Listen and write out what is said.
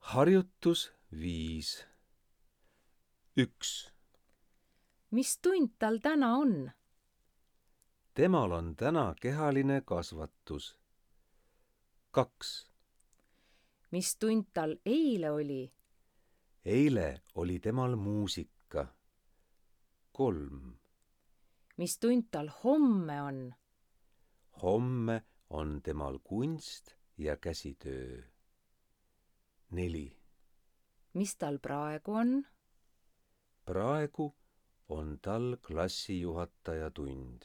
Harjutus 5. 1. Mis tund tal täna on? Temal on täna kehaline kasvatus. 2. Mis tund tal eile oli? Eile oli temal muusika. 3. Mis tund tal homme on? Homme on temal kunst ja käsitöö. 4. Mis tal praegu on? Praegu on tal klassijuhataja tund.